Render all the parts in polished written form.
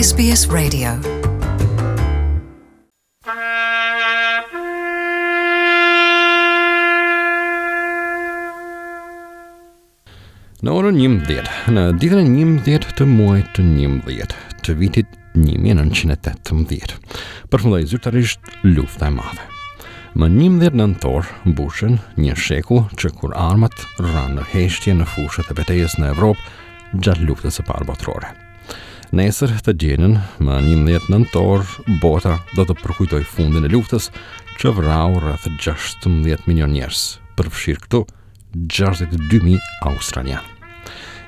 SBS Radio. Në orën 11, në ditën e 11 të muajit të 11 të vitit 1918, përfundoi zyrtarisht lufta e madhe. Më 11 nëntor mbushen një shekull që kur armët ranë në heshtje në fushat e betejës në Evropë gjatë luftës së parë botërore. Nesër të dielën, më 11 nëntor, bota do të përkujtojë fundin e luftës që vrau rreth 16 milion njerëz, përfshirë këtu 62.000 australianë.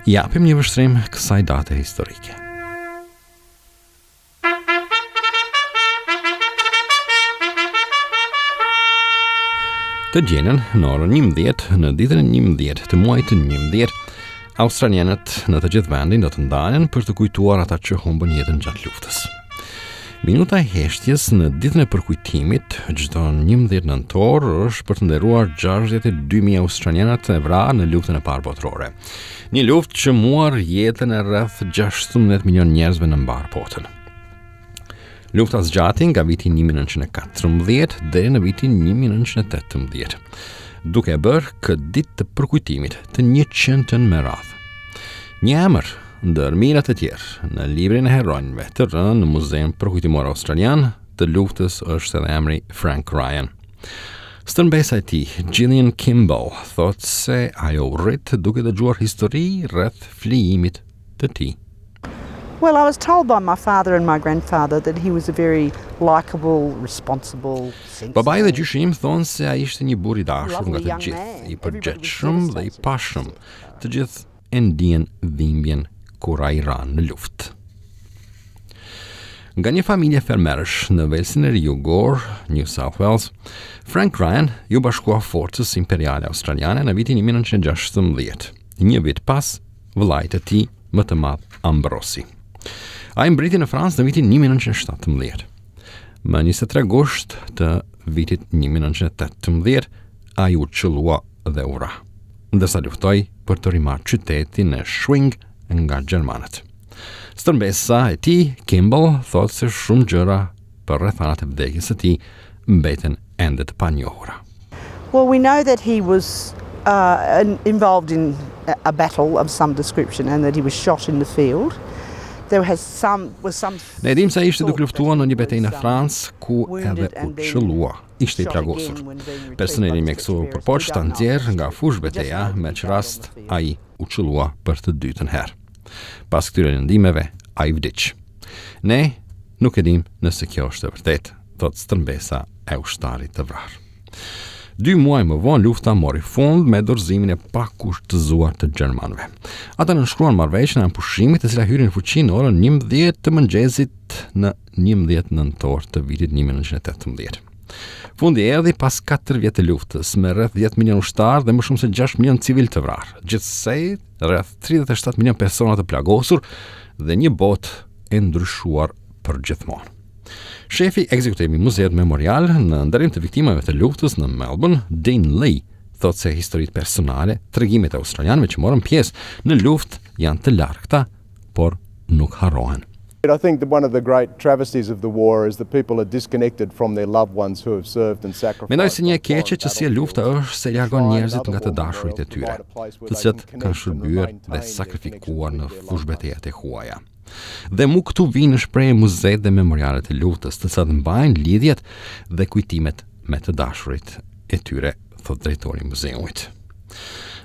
I japim një vështrim kësaj date historike. Të dielën, në orën 11, në ditën e 11 të muajit të 11, australianët në të gjithë vendin do të ndalen për të kujtuar ata që humbën jetën gjatë luftës. Minuta e heshtjes në ditën e përkujtimit çdo 11 nëntor është për të nderuar 62.000 australianët e vrarë në luftën e parë botërore. Një luftë që muar jetën e rreth 16 milion njerëzve në mbarë botën. Lufta zgjati nga viti 1914 deri në vitin 1918, duke e bërë këtë ditë të përkujtimit të 100-tën me radhë. Një emër Ndër mijëra të tjerë, në librin e heronjve të rënë në Muzeun Përkujtimor Australian të Luftës është edhe emri Frank Ryan. Stërmbesa e tij, Gillian Kimball, thotë se ajo u rrit duke dëgjuar histori rreth flijimit të tij. Well, I was told by my father and my grandfather that he was a very likable, responsible, sensible. Babai dhe gjyshi im thonë se ai ishte një burrë i dashur nga të gjithë, i përgjegjshëm dhe i pashëm. Të gjithë e ndien dhimbjen kur ai ra në luftë. Nga një familje fermerësh në Velsin e Ri Jugor, New South Wales, Frank Ryan iu bashkua Forcës Imperiale Australiane në vitin 1916, një vit pas vëllait të tij më të madh Ambrosi. Ai mbërriti në Francë në vitin 1917. Më 23 gusht të vitit 1918, ai u qëllua dhe u vra. ndërsa luftoi për të rimarrë qytetin e Schwing nga gjermanët. Stërmbesa e tij, Kimball, thotë se shumë gjëra për rrethanat e vdekjes së tij mbeten ende të panjohura. Well, we know that he was uh, involved in a battle of some description and that he was shot in the field. There has some was some Ne dimë se ai ishte duke luftuar në një betejë në Francë ku edhe u qëllua ishte i plagosur. Personeli mjekësor u përpoq ta nxjerrë nga fushëbeteja, me ç'rast ai u qëllua për të dytën herë. Pas këtyre lëndimeve, ai vdiq. Ne nuk e dimë nëse kjo është e vërtetë, thotë stërmbesa e ushtarit të vrarë. Dy muaj më vonë lufta mori fund me dorëzimin e pakushtëzuar të gjermanëve. Ata nënshkruan marrëveshjen e armëpushimit e cila hyri në fuqi në orën 11 të mëngjesit në 11 nëntor të vitit 1918. Fundi erdhi pas 4 vjet të luftës, me rreth 10 milion ushtarë dhe më shumë se 6 milion civilë të vrarë, gjithsej rreth 37 milion persona të plagosur dhe një botë e ndryshuar përgjithmonë. Shefi ekzekutiv i Muzeut Memorial në nderim të viktimave të luftës në Melbourne, Dean Lee, thotë se historitë personale, tregimet e australianëve që morën pjesë në luftë janë të largëta, por nuk harrohen. I think that one of the great travesties of the war is that people are disconnected from their loved ones who have served and sacrificed. Mendoj se një e keqe që sjell lufta është se largon njerëzit nga të dashurit e tyre, të cilët kanë shërbyer dhe sakrifikuar në fushëbetejat e huaja. Dhe mu këtu vijnë në shprehje muzetë dhe memorialet e luftës, të cilat mbajnë lidhjet dhe kujtimet me të dashurit e tyre, thotë drejtori i muzeut.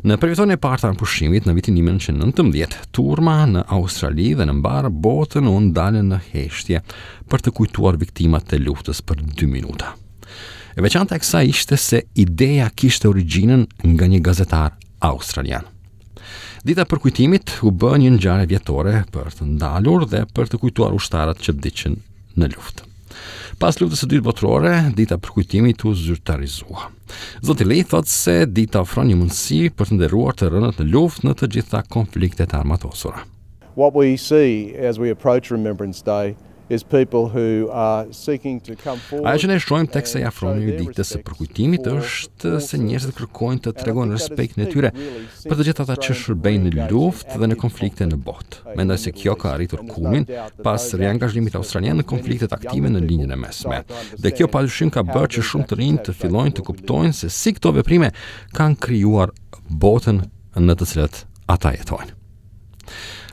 Në përvjetorin e parë të armëpushimit në vitin 1919, turma në Australi dhe në mbarë botën u ndalën në heshtje për të kujtuar viktimat e luftës për 2 minuta. E veçanta e kësaj ishte se ideja kishte origjinën nga një gazetar australian. Dita e përkujtimit u bë një ngjarje vjetore për të ndalur dhe për të kujtuar ushtarët që vdiqën në luftë. Pas luftës së dytë botërore, dita e përkujtimit u zyrtarizua. Zoti Lee thotë se dita ofron një mundësi për të nderuar të rënët në luftë në të gjitha konfliktet e armatosura. What we see as we approach Remembrance Day. Is people who are seeking to come forward. Ajo që ne shohim teksa i afrohemi ditës së përkujtimit është se njerëzit kërkojnë të tregojnë respektin e tyre për të gjithë ata që shërbejnë në luftë dhe në konflikte në botë. Mendoj se kjo ka arritur kulmin pas riangazhimit australian në konfliktet aktive në Lindjen e Mesme. Dhe kjo padyshim ka bërë që shumë të rinj të fillojnë të kuptojnë se si këto veprime kanë krijuar botën në të cilët ata jetojnë.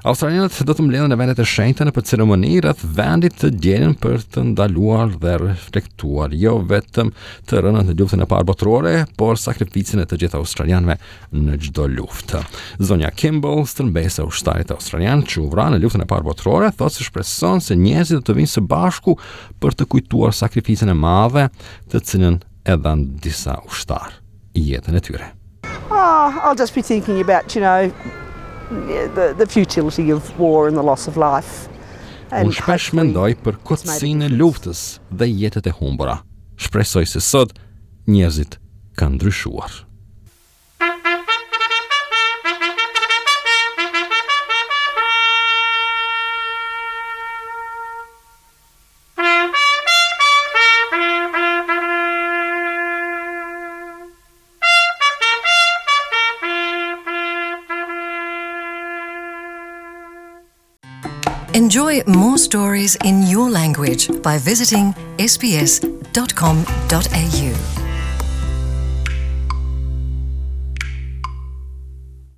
Australianët do të mbledhen në vendet e shenjta nëpër ceremoni rreth vendit të dielën për të ndaluar dhe reflektuar jo vetëm të rënët në luftën e parë botërore, por sakrificën e të gjithë australianëve në çdo luftë. Zonja Kimball, stërmbesa e ushtarit australian që u vra në luftën e parë botërore, thotë se shpreson se njerëzit do të vijnë së bashku për të kujtuar sakrificën e madhe të cilën e dhanë disa ushtarë jetën e tyre. Oh, I'll just be thinking about, you know, the, the futility of war and the loss of life. Unë shpesh mendoj për kotësinë e luftës dhe jetët e humbura. Shpresoj se sot njerëzit kanë ndryshuar. Enjoy more stories in your language by visiting sbs.com.au.